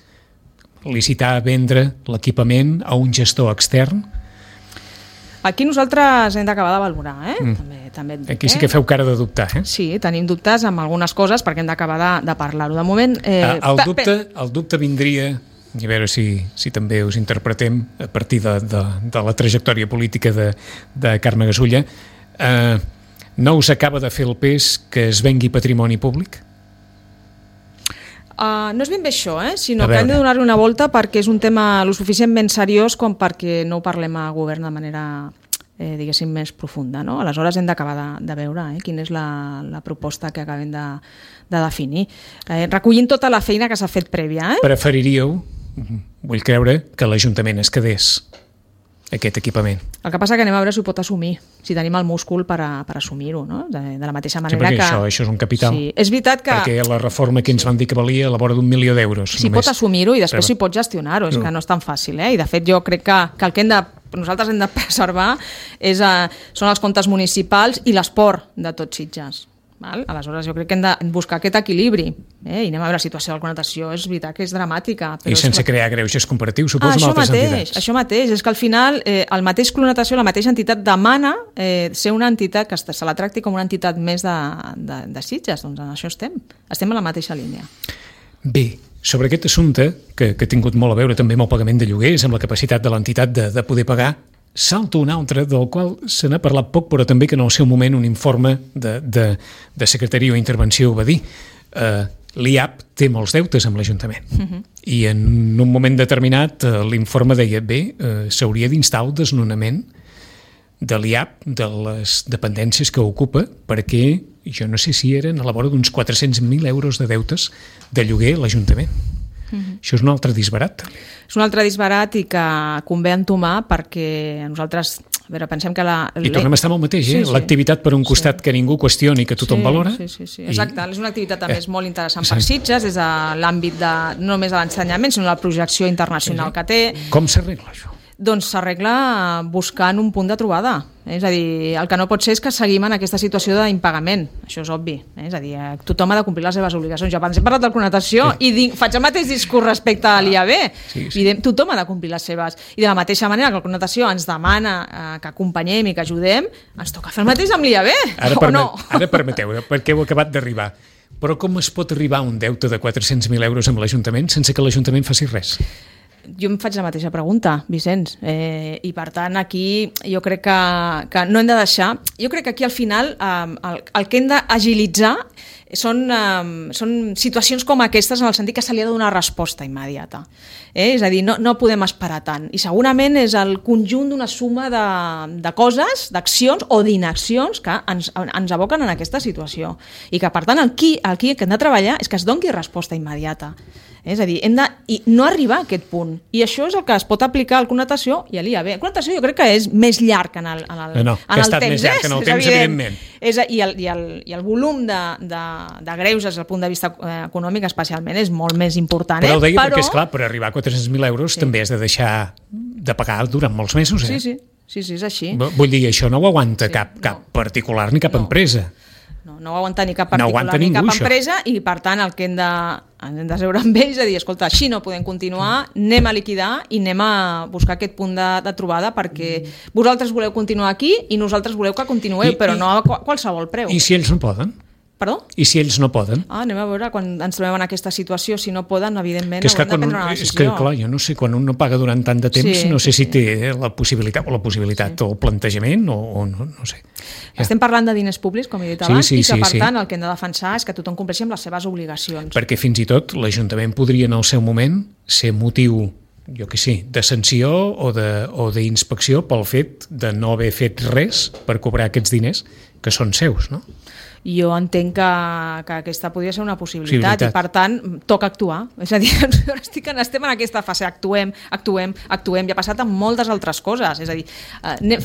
licitar a vendre l'equipament a un gestor extern? Aquí nosaltres hem d'acabar de valorar, eh? Mm. També, també et dic, Aquí sí que feu cara de dubtar, eh? Sí, tenim dubtes amb algunes coses perquè hem d'acabar de, de parlar-ho. De moment... Eh, el, dubte, el dubte vindria, i a veure si, si també us interpretem a partir de, de, de la trajectòria política de, de Carme Gasulla, eh, no us acaba de fer el pes que es vengui patrimoni públic? Uh, no és ben bé això, eh? sinó que hem de donar-li una volta perquè és un tema lo suficientment seriós com perquè no ho parlem a govern de manera, eh, diguéssim, més profunda. No? Aleshores hem d'acabar de, de veure eh, quina és la, la proposta que acabem de, de definir. Eh, recollint tota la feina que s'ha fet prèvia. Eh? Preferiríeu, vull creure, que l'Ajuntament es quedés aquest equipament. El que passa que anem a veure si ho pot assumir, si tenim el múscul per, a, per assumir-ho, no? de, de la mateixa manera sí, que... Això, això és un capital. Sí, és veritat que... Perquè la reforma que ens van dir que valia a la vora d'un milió d'euros. Si només. Pot assumir-ho i després Però... si pot gestionar-ho, és no. que no és tan fàcil, eh? I de fet jo crec que, que el que hem de, nosaltres hem de preservar és, uh, són els comptes municipals i l'esport de tots Sitges. Val? Aleshores jo crec que hem de buscar aquest equilibri, eh? I anem a veure la situació de la connotació, és veritat que és dramàtica. Però I sense és... crear greuges comparatius, suposo, ah, amb altres mateix, entitats. Això mateix, és que al final eh, el mateix Club Natació, la mateixa entitat demana eh, ser una entitat que se la tracti com una entitat més de, de, de Sitges, doncs en això estem, estem a la mateixa línia. Bé, sobre aquest assumpte, que, que ha tingut molt a veure també amb el pagament de lloguers, amb la capacitat de l'entitat de, de poder pagar, salta un altre del qual se n'ha parlat poc, però també que en el seu moment un informe de, de, de secretaria o intervenció ho va dir. Uh, L'I A P té molts deutes amb l'Ajuntament. Uh-huh. I en un moment determinat uh, l'informe deia, bé, uh, s'hauria d'instar el desnonament de l'I A P, de les dependències que ocupa, perquè jo no sé si eren a la vora d'uns quatre-cents mil euros de deutes de lloguer a l'Ajuntament. Uh-huh. Això és un altre disbarat. És un altre disbarat i que convé entomar perquè nosaltres, a veure, pensem que la... I tornem a estar amb el mateix, eh? Sí, sí. L'activitat per un costat sí. que ningú qüestioni, que tothom sí, valora. Sí, sí, sí. Exacte, i... és una activitat a més eh, molt interessant per Sitges, des de l'àmbit de, no només de l'ensenyament, sinó de la projecció internacional sí, sí. que té. Com s'arregla això? Doncs s'arregla buscant un punt de trobada. És a dir, el que no pot ser és que seguim en aquesta situació d'impagament. Això és obvi. És a dir, tothom ha de complir les seves obligacions. Jo abans he parlat de connotació sí. i dic, faig el mateix discurs respecte a l'I A B. Sí, sí. I tothom ha de complir les seves. I de la mateixa manera que la connotació ens demana eh, que acompanyem i que ajudem, ens toca fer el mateix amb l'I A B. Ara, o permet, no? Ara permeteu, perquè heu acabat d'arribar. Però com es pot arribar a un deute de quatre-cents mil euros amb l'Ajuntament sense que l'Ajuntament faci res? Jo em faig la mateixa pregunta, Vicenç, eh, i per tant aquí jo crec que, que no hem de deixar, jo crec que aquí al final eh, el, el que hem d'agilitzar són, eh, són situacions com aquestes en el sentit que se li ha de donar resposta immediata. Eh? És a dir, no, no podem esperar tant. I segurament és el conjunt d'una suma de, de coses, d'accions o d'inaccions que ens, ens aboquen en aquesta situació. I que, per tant, el qui, el qui que hem de treballar és que es doni resposta immediata. És a dir, hem de i no arribar a aquest punt. I això és el que es pot aplicar al connotació i a l'I A B. El connotació jo crec que és més llarg en el, en el, no, no, en el temps. temps. Més llarg en el és temps, evident. evidentment. És, i, el, i, el, I el volum de, de, de greuges des del punt de vista econòmic especialment és molt més important. Però ho deia eh? perquè, esclar, per arribar a quatre-cents mil euros sí. també has de deixar de pagar durant molts mesos. Eh? Sí, sí, sí, sí, és així. Vull dir, això no ho aguanta sí, cap, cap no. particular ni cap no. empresa. No, no ho aguanta ni cap particular no ni ningú, cap això. empresa i, per tant, el que hem de, hem de seure amb ells és a dir, escolta, així no podem continuar, anem a liquidar i anem a buscar aquest punt de, de trobada perquè vosaltres voleu continuar aquí i nosaltres voleu que continueu, I, però i, no a qualsevol preu. I si ells no poden? Perdó? I si ells no poden? Ah, anem a veure, quan ens trobem en aquesta situació, si no poden, evidentment, que és que haurem de prendre una un, decisió. És que, clar, jo no sé, quan un no paga durant tant de temps, sí, no sé sí, si té la possibilitat o la possibilitat sí. o el plantejament o, o no, no sé. Ja. Estem parlant de diners públics, com he dit abans, sí, sí, i que, sí, per sí. tant, el que hem de defensar és que tothom compleixi amb les seves obligacions. Perquè fins i tot l'Ajuntament podria, en el seu moment, ser motiu, jo que sé, de sanció o d'inspecció pel fet de no haver fet res per cobrar aquests diners que són seus, no? Jo entenc que, que aquesta podria ser una possibilitat sí, i per tant toca actuar, és a dir, estic, estem en aquesta fase, actuem, actuem, actuem, i ha passat amb moltes altres coses, és a dir,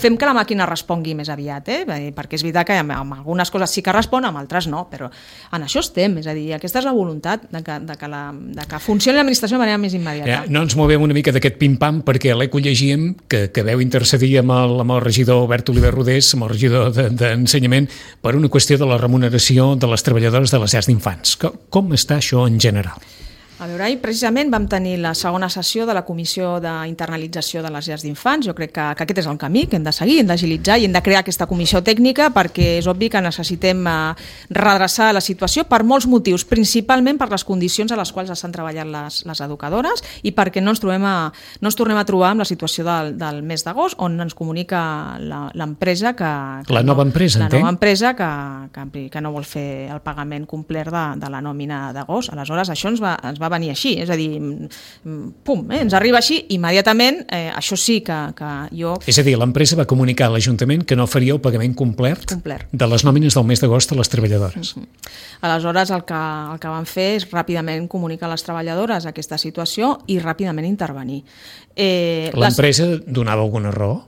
fem que la màquina respongui més aviat, eh? Perquè és veritat que amb algunes coses sí que respon, amb altres no, però en això estem, és a dir, aquesta és la voluntat de que, de que, la, de que funcioni l'administració de manera més immediata. Ja, no ens movem una mica d'aquest pim-pam perquè a l'Eco llegíem que, que veu intercedir amb el, amb el regidor Albert Oliver Rodés, amb el regidor d'Ensenyament, per una qüestió de la remuneració de les treballadores de les llars d'infants. Com està això en general? A veure, ahir precisament vam tenir la segona sessió de la Comissió d'Internalització de les Llars d'Infants. Jo crec que, que aquest és el camí que hem de seguir, hem d'agilitzar i hem de crear aquesta comissió tècnica perquè és obvi que necessitem eh, redreçar la situació per molts motius, principalment per les condicions a les quals estan treballant les, les educadores i perquè no ens, trobem a, no ens tornem a trobar amb la situació del, del mes d'agost on ens comunica l'empresa que, que... La nova empresa, no, entenc? La nova empresa que, que, que no vol fer el pagament complet de, de la nòmina d'agost. Aleshores, això ens va, ens va venir així, és a dir, pum, eh, ens arriba així, immediatament, eh, això sí que, que jo... És a dir, l'empresa va comunicar a l'Ajuntament que no faria el pagament complet, complet. de les nòmines del mes d'agost a les treballadores. Uh-huh. Aleshores, el que, el que van fer és ràpidament comunicar a les treballadores aquesta situació i ràpidament intervenir. Eh, L'empresa les... donava alguna raó?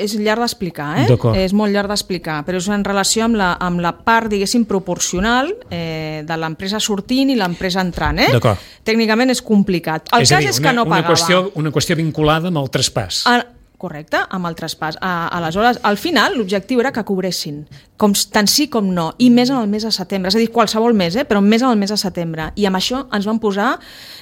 És llarg d'explicar, eh? És molt llarg d'explicar, però és en relació amb la, amb la part, diguéssim, proporcional eh, de l'empresa sortint i l'empresa entrant, eh? Tècnicament és complicat. El és cas dir, és una, que no una pagava. Qüestió, una qüestió vinculada amb el traspàs. A, correcte, amb el traspàs. A, aleshores, al final, l'objectiu era que cobressin, com, tant sí com no, i més en el mes de setembre, és a dir, qualsevol mes, eh? Però més en el mes de setembre. I amb això ens van posar,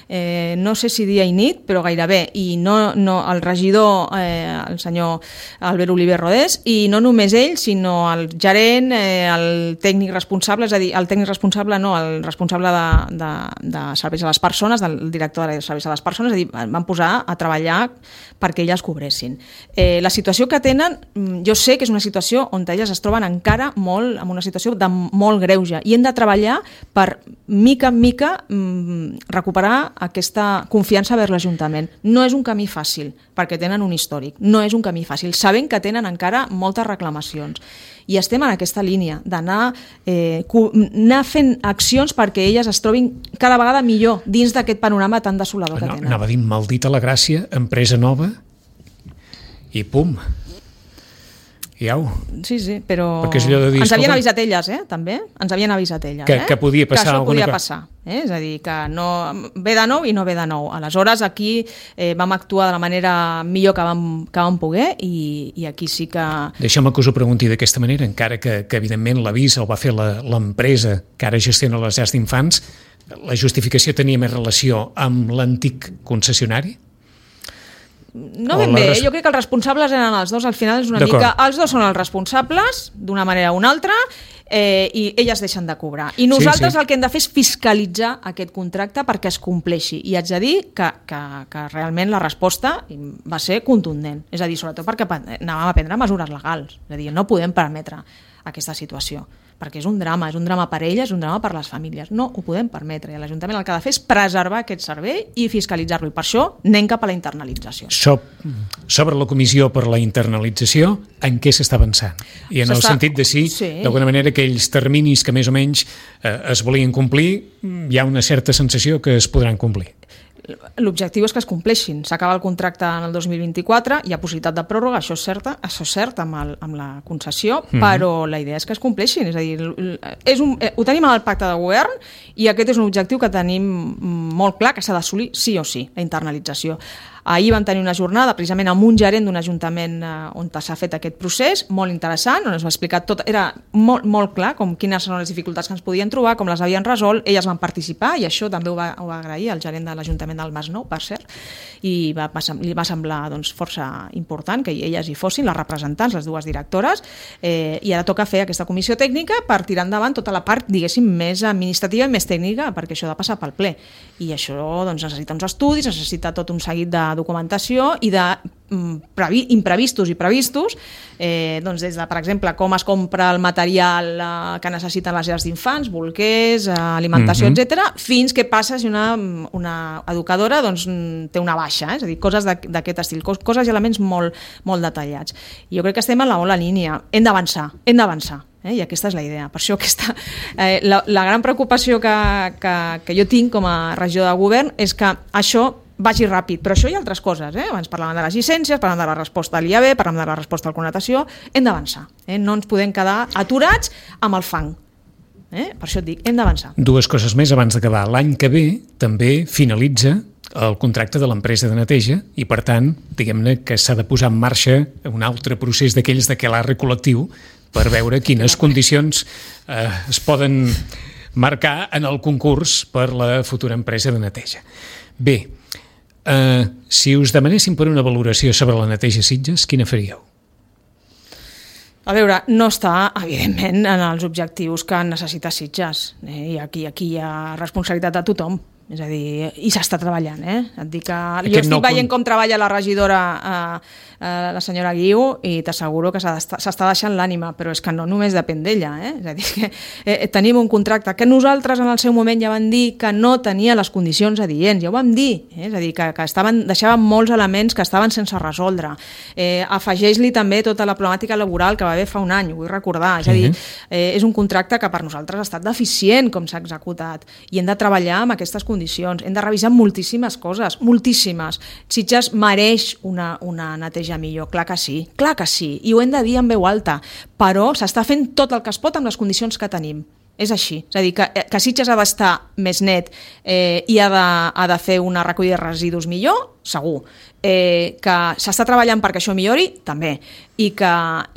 eh, no sé si dia i nit, però gairebé, i no, no el regidor, eh, el senyor Albert Oliver Rodés, i no només ell, sinó el gerent, eh, el tècnic responsable, és a dir, el tècnic responsable no, el responsable de, de, de serveis a les persones, del director de serveis a les persones, és a dir, van posar a treballar perquè elles cobressin. Eh, la situació que tenen, jo sé que és una situació on elles es troben encara molt, en una situació de molt greuge, i hem de treballar per, mica en mica, recuperar aquesta confiança vers l'Ajuntament. No és un camí fàcil, perquè tenen un històric, no és un camí fàcil, sabent que tenen encara moltes reclamacions. I estem en aquesta línia d'anar eh, anar fent accions perquè elles es trobin cada vegada millor dins d'aquest panorama tan desolador que no, tenen. Anava a dir, maldita la gràcia, empresa nova, i pum, i au. Sí, sí, però dir, ens havien avisat elles, eh, també, ens havien avisat elles. Que, eh? que podia passar que això alguna podia passar, eh? És a dir, que no ve de nou i no ve de nou. Aleshores, aquí eh, vam actuar de la manera millor que vam, que vam poder i, i aquí sí que... Deixa'm que us ho pregunti d'aquesta manera, encara que, que evidentment l'avís el va fer l'empresa que ara gestiona les llars d'infants, la justificació tenia més relació amb l'antic concessionari? No ben bé, res... jo crec que els responsables eren els dos, al final és una mica... Els dos són els responsables, d'una manera o una altra, eh, i elles deixen de cobrar. I nosaltres sí, sí. el que hem de fer és fiscalitzar aquest contracte perquè es compleixi. I haig de dir que, que, que realment la resposta va ser contundent. És a dir, sobretot perquè anàvem a prendre mesures legals. És a dir, no podem permetre aquesta situació, perquè és un drama, és un drama per elles, és un drama per les famílies. No ho podem permetre. I l'Ajuntament el que ha de fer és preservar aquest servei i fiscalitzar-lo. I per això anem cap a la internalització. Sobre la comissió per la internalització, en què s'està avançant? I en el sentit de si, sí. d'alguna manera, aquells terminis que més o menys eh, es volien complir, hi ha una certa sensació que es podran complir. L'objectiu és que es compleixin. S'acaba el contracte en el dos mil vint-i-quatre, hi ha possibilitat de pròrroga, això és cert, això és cert amb, el, amb la concessió, mm-hmm. però la idea és que es compleixin. És a dir, és un, ho tenim en el pacte de govern i aquest és un objectiu que tenim molt clar, que s'ha d'assolir sí o sí, la internalització. Ahir vam tenir una jornada precisament amb un gerent d'un ajuntament on s'ha fet aquest procés, molt interessant, on es va explicar tot, era molt, molt clar com quines són les dificultats que ens podien trobar, com les havien resolt, elles van participar i això també ho va, ho va agrair el gerent de l'Ajuntament del Masnou, per cert, i va, va, li va semblar doncs, força important que elles hi fossin, les representants, les dues directores, eh, i ara toca fer aquesta comissió tècnica per tirar endavant tota la part, diguéssim, més administrativa i més tècnica, perquè això ha de passar pel ple. I això doncs, necessita uns estudis, necessita tot un seguit de documentació i de previ, imprevistos i previstos, eh, doncs des de, per exemple, com es compra el material eh, que necessiten les llars d'infants, bolquers, eh, alimentació, mm-hmm. etcètera, fins què passa si una, una educadora doncs, té una baixa, eh? És a dir, coses d'aquest estil, coses i elements molt, molt detallats. I jo crec que estem en la bona línia. Hem d'avançar, hem d'avançar. Eh? I aquesta és la idea. Per això aquesta, eh, la, la gran preocupació que, que, que jo tinc com a regidor de govern és que això vagi ràpid, però això hi ha altres coses, eh? Abans parlàvem de les llicències, parlàvem de la resposta a l'I A B, parlàvem de la resposta a la connotació, hem d'avançar, eh? No ens podem quedar aturats amb el fang, eh? Per això et dic, hem d'avançar. Dues coses més abans d'acabar. L'any que ve també finalitza el contracte de l'empresa de neteja i, per tant, diguem-ne que s'ha de posar en marxa un altre procés d'aquells de quelarre col·lectiu per veure quines condicions eh, es poden marcar en el concurs per la futura empresa de neteja. Bé, eh, si us demanessin per una valoració sobre la neteja Sitges, quina faríeu? A veure, no està, evidentment, en els objectius que necessita Sitges. Eh? I aquí, aquí hi ha responsabilitat de tothom. És a dir, i s'està treballant, eh? Et dic que jo estic no veient com treballa la regidora, eh, eh, la senyora Guiu, i t'asseguro que s'està deixant l'ànima, però és que no només depèn d'ella, eh? És a dir, que eh, tenim un contracte que nosaltres en el seu moment ja vam dir que no tenia les condicions adients, ja ho vam dir, eh? És a dir, que, que estaven, deixaven molts elements que estaven sense resoldre. Eh, afegeix-li també tota la problemàtica laboral que va haver fa un any, ho vull recordar, és a dir, eh, és un contracte que per nosaltres ha estat deficient com s'ha executat, i hem de treballar amb aquestes condicions. Condicions. Hem de revisar moltíssimes coses, moltíssimes. Sitges mereix una, una neteja millor, clar que sí, clar que sí, i ho hem de dir en veu alta, però s'està fent tot el que es pot amb les condicions que tenim. És així, és a dir, que, que Sitges ha d'estar més net eh, i ha de, ha de fer una recollida de residus millor, segur. Eh, que s'està treballant perquè això millori, també. I que,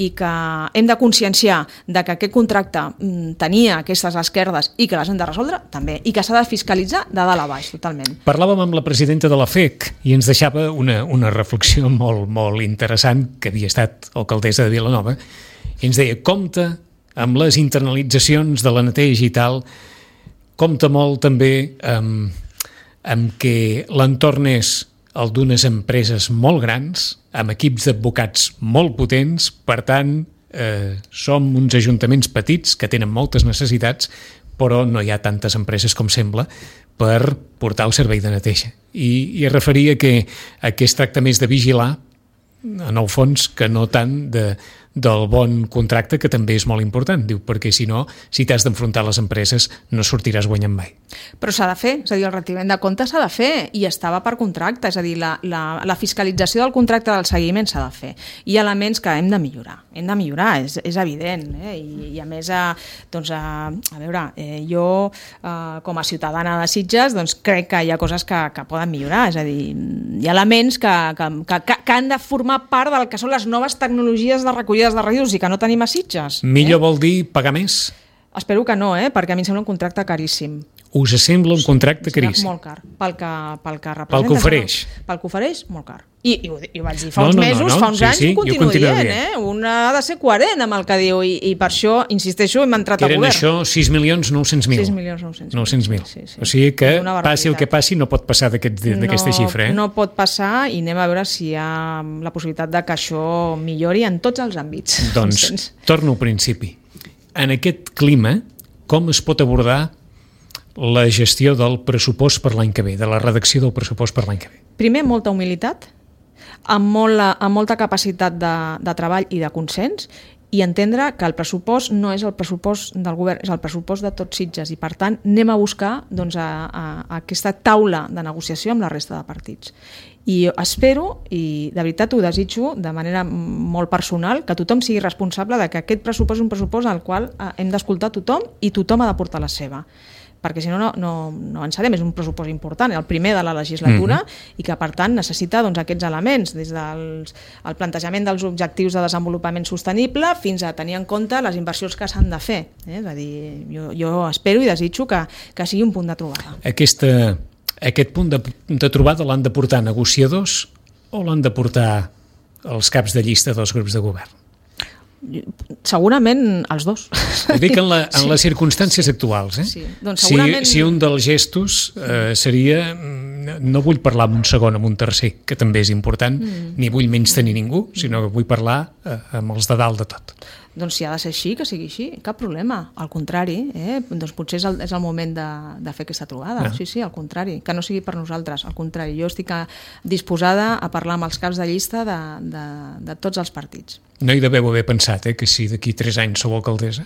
i que hem de conscienciar de que aquest contracte mm, tenia aquestes esquerdes i que les hem de resoldre, també. I que s'ha de fiscalitzar de dalt a baix, totalment. Parlàvem amb la presidenta de la F E C i ens deixava una, una reflexió molt, molt interessant, que havia estat alcaldessa de Vilanova, i ens deia, compte amb les internalitzacions de la neteja i tal, compta molt també amb, amb que l'entorn és el d'unes empreses molt grans, amb equips d'advocats molt potents, per tant, eh, som uns ajuntaments petits que tenen moltes necessitats, però no hi ha tantes empreses com sembla per portar el servei de neteja. I, i es referia que, a que es tracta més de vigilar, en el fons, que no tant de del bon contracte, que també és molt important, diu, perquè si no, si t'has d'enfrontar a les empreses, no sortiràs guanyant mai. Però s'ha de fer, és a dir, el retiment de comptes s'ha de fer, i estava per contracte, és a dir, la, la, la fiscalització del contracte del seguiment s'ha de fer. Hi ha elements que hem de millorar, hem de millorar, és, és evident, eh? I, i a més, a, doncs, a, a veure, eh, jo, eh, com a ciutadana de Sitges, doncs crec que hi ha coses que, que poden millorar, és a dir, hi ha elements que, que, que, que han de formar part del que són les noves tecnologies de recollida de residus i que no tenim a Sitges. Millor eh? vol dir pagar més? Espero que no, eh? Perquè a mi em sembla un contracte caríssim. Us sembla un contracte serà caríssim? molt car, pel que, pel que representa. Pel que ofereix. Pel que ofereix, molt car. I, i, ho, i ho vaig dir fa No, uns no, no, mesos, no. fa uns Sí, anys, sí, i ho jo continuo continuo dient, dient. eh? Un ha de ser coherent amb el que diu, i, i per això, insisteixo, hem entrat Que a eren govern. això sis milions nou-cents mil. sis milions nou-cents mil. nou-cents mil. Sí, sí. O sigui que Una passi el barbaritat. que passi no pot passar d'aquest- d'aquesta no, xifra. Eh? No pot passar, i anem a veure si hi ha la possibilitat de que això millori en tots els àmbits. Doncs Entens? torno al principi. En aquest clima, com es pot abordar la gestió del pressupost per l'any que ve, de la redacció del pressupost per l'any que ve? Primer, molta humilitat, amb, molt, amb molta capacitat de, de treball i de consens, i entendre que el pressupost no és el pressupost del govern, és el pressupost de tots Sitges, i per tant anem a buscar doncs, a, a, a aquesta taula de negociació amb la resta de partits. I espero, i de veritat ho desitjo de manera molt personal, que tothom sigui responsable de que aquest pressupost és un pressupost al qual hem d'escoltar tothom i tothom ha d'aportar la seva, perquè si no, no, no, no avançarem. És un pressupost important, el primer de la legislatura, mm-hmm. i que per tant necessita doncs, aquests elements, des del el plantejament dels objectius de desenvolupament sostenible fins a tenir en compte les inversions que s'han de fer. Eh? És a dir, jo, jo espero i desitjo que, que sigui un punt de trobada. Aquesta, aquest punt de, de trobada l'han de portar negociadors o l'han de portar els caps de llista dels grups de govern? Segurament els dos. Ho dic en, la, en les circumstàncies actuals. Eh? Sí, doncs segurament... si, si un dels gestos eh, seria, no vull parlar amb un segon, amb un tercer, que també és important, mm. ni vull menys tenir ningú, sinó que vull parlar eh, amb els de dalt de tot. Doncs si ha de ser així, que sigui així, cap problema. Al contrari, eh? doncs potser és el, és el moment de, de fer aquesta trobada. Ah. Sí, sí, al contrari, que no sigui per nosaltres, al contrari. Jo estic disposada a parlar amb els caps de llista de, de, de tots els partits. No hi deveu haver pensat eh, que si d'aquí tres anys sou alcaldessa?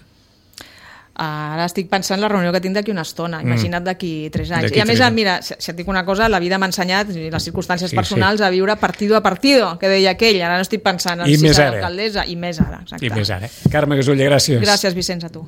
Ara estic pensant en la reunió que tinc d'aquí una estona, imagina't d'aquí tres anys. I a més, mira, si et dic una cosa, la vida m'ha ensenyat, les circumstàncies sí, personals, sí. a viure partido a partido, que deia aquell. Ara no estic pensant en I si serà alcaldessa, i més ara. Exacte. I més ara. Carme Gasulla, gràcies. Gràcies, Vicenç, a tu.